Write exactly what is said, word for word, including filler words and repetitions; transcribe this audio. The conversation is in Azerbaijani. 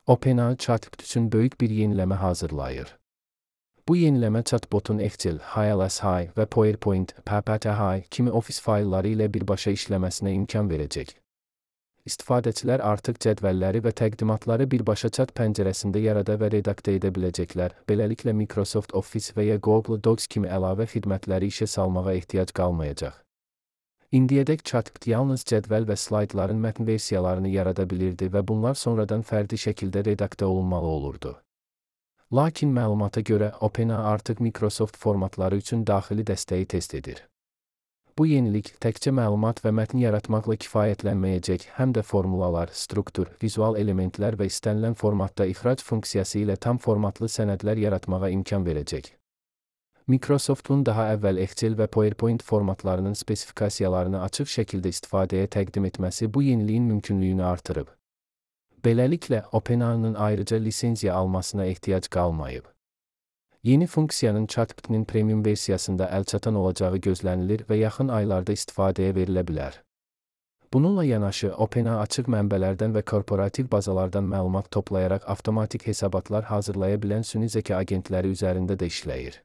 OpenAI chatbot üçün böyük bir yeniləmə hazırlayır. Bu yeniləmə chatbotun Excel, H L S H və PowerPoint, P P T H kimi ofis faylları ilə birbaşa işləməsinə imkan verəcək. İstifadəçilər artıq cədvəlləri və təqdimatları birbaşa chat pəncərəsində yarada və redaktə edə biləcəklər. Beləliklə Microsoft Office və ya Google Docs kimi əlavə xidmətləri işə salmağa ehtiyac qalmayacaq. İndiyədək chatbot yalnız cədvəl və slaydların mətn versiyalarını yarada bilirdi və bunlar sonradan fərdi şəkildə redaktə olunmalı olurdu. Lakin məlumata görə OpenAI artıq Microsoft formatları üçün daxili dəstəyi test edir. Bu yenilik təkcə məlumat və mətn yaratmaqla kifayətlənməyəcək, həm də formulalar, struktur, vizual elementlər və istənilən formatda ixrac funksiyası ilə tam formatlı sənədlər yaratmağa imkan verəcək. Microsoftun daha əvvəl Excel və PowerPoint formatlarının spesifikasiyalarını açıq şəkildə istifadəyə təqdim etməsi bu yeniliyin mümkünlüyünü artırıb. Beləliklə, OpenAI-nın ayrıca lisenziya almasına ehtiyac qalmayıb. Yeni funksiyanın chatbot'un premium versiyasında əlçatan olacağı gözlənilir və yaxın aylarda istifadəyə verilə bilər. Bununla yanaşı, OpenAI açıq mənbələrdən və korporativ bazalardan məlumat toplayaraq avtomatik hesabatlar hazırlaya bilən süni zəka agentləri üzərində də işləyir.